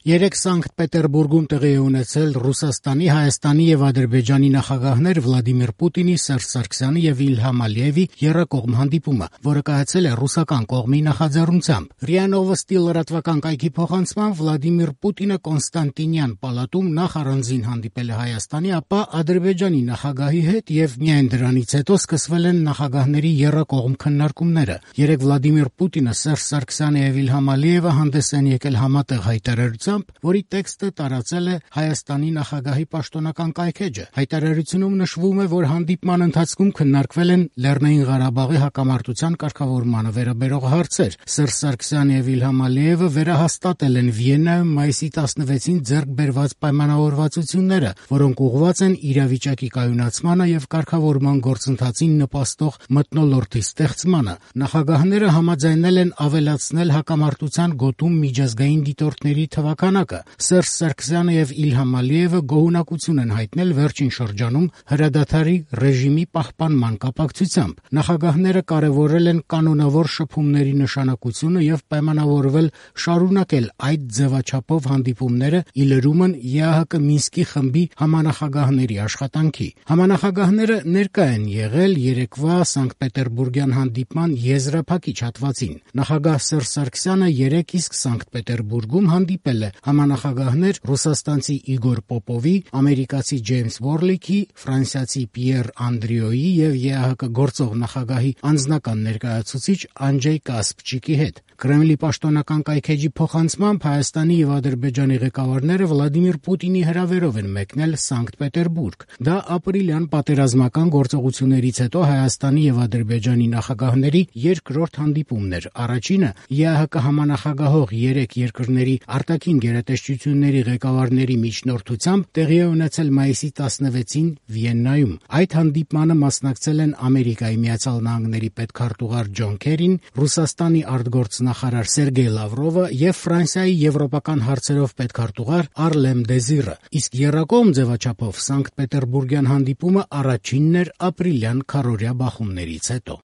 Երեկ Սանկտ Պետերբուրգում տեղի է ունեցել Ռուսաստանի, Հայաստանի եւ Ադրբեջանի նախագահներ Վլադիմիր Պուտինի, Սերժ Սարգսյանի եւ Իլհամ Ալիևի եռակողմ հանդիպումը, որը կայացել է ռուսական կողմի նախաձեռնությամբ։ ՌԻԱ Նովոստի լրատվական կայքի փոխանցմամբ Վլադիմիր Պուտինը Կոնստանտինյան պալատում նախ առանձին հանդիպել է Հայաստանի, ապա Ադրբեջանի նախագահի հետ եւ միայն դրանից հետո սկսվել են նախագահների եռակողմ քննարկումները։ Երեկ Վլադիմիր Պուտինը, Սերժ Սարգսյանը եւ Իլհամ Ալիևը հանդես են եկել համատեղ հայտարարությամբ, որի տեքստը տարածել է Հայաստանի նախագահի պաշտոնական կայքէջը։ Հայտարարությունում նշվում է, որ հանդիպման ընթացքում քննարկվել են Լեռնային Ղարաբաղի հակամարտության կարգավորմանը վերաբերող հարցեր։ Սերժ Սարգսյանը եւ Իլհամ Ալիևը վերահաստատել են Վիեննայում մայիսի 16-ին ձեռք բերված պայմանավորվածությունները, որոնք ուղղված են իրավիճակի կայունացմանը եւ կարգավորման գործընթացին նպաստող մթնոլորտի ստեղծմանը։ Նախագահները համաձայնել են ավելացնել հակամարտության գոտում միջազգային դիտորդների թվաքանակը։ Սերժ Սարգսյանը եւ Իլհամ Ալիևը գոհունակություն են հայտնել վերջին շրջանում հրադադարի ռեժիմի պահպանման կապակցությամբ։ Նախագահները կարևորել են կանոնավոր շփումների նշանակությունը եւ պայմանավորվել շարունակել այդ ձևաչափով հանդիպումները, ի լրումն ԵԱՀԿ Մինսկի խմբի համանախագահների աշխատանքի։ Համանախագահները ներկա են եղել երեկվա Սանկտ Պետերբուրգյան հանդիպման եզրափակիչ հատվածին։ Նախագահ Սերժ Սարգսյանը երեկ իսկ Սանկտ Պետերբուրգում հանդիպել է համանախագահներ ռուսաստանցի Իգոր Պոպովի, ամերիկացի Ջեյմս Վորլիքի, ֆրանսիացի Պիեր Անդրիոյի եւ ԵԱՀԿ գործող նախագահի անձնական ներկայացուցիչ Անջեյ Կասպչիկի հետ։ Կրեմլի պաշտոնական կայքէջի փոխանցմամբ Հայաստանի եւ Ադրբեջանի ղեկավարները Վլադիմիր Պուտինի հրավերով են մեկնել Սանկտ Պետերբուրգ։ Դա ապրիլյան պատերազմական գործողություններից հետո Հայաստանի եւ Ադրբեջանի նախագահների երկրորդ հանդիպումն էր։ Առաջինը ԵԱՀԿ համանախագահող 3 երկրների արտաքին գերատեսչությունների ղեկավարների միջնորդությամբ տեղի է ունեցել մայիսի 16-ին Վիեննայում։ Այդ հանդիպմանը մասնակցել են Ամերիկայի Միացյալ Նահանգների պետքարտուղար Ջոն Քերին, Ռուսաստանի արտգործնախարար Սերգեյ Լավրովը եւ Ֆրանսիայի եվրոպական հարցերով պետքարտուղար Արլեմ Դեզիրը։ Իսկ եռակողմ ձևաչափով Սանկտ Պետերբուրգյան հանդիպումը առաջինն էր ապրիլյան քառօրյա բախումներից հետո։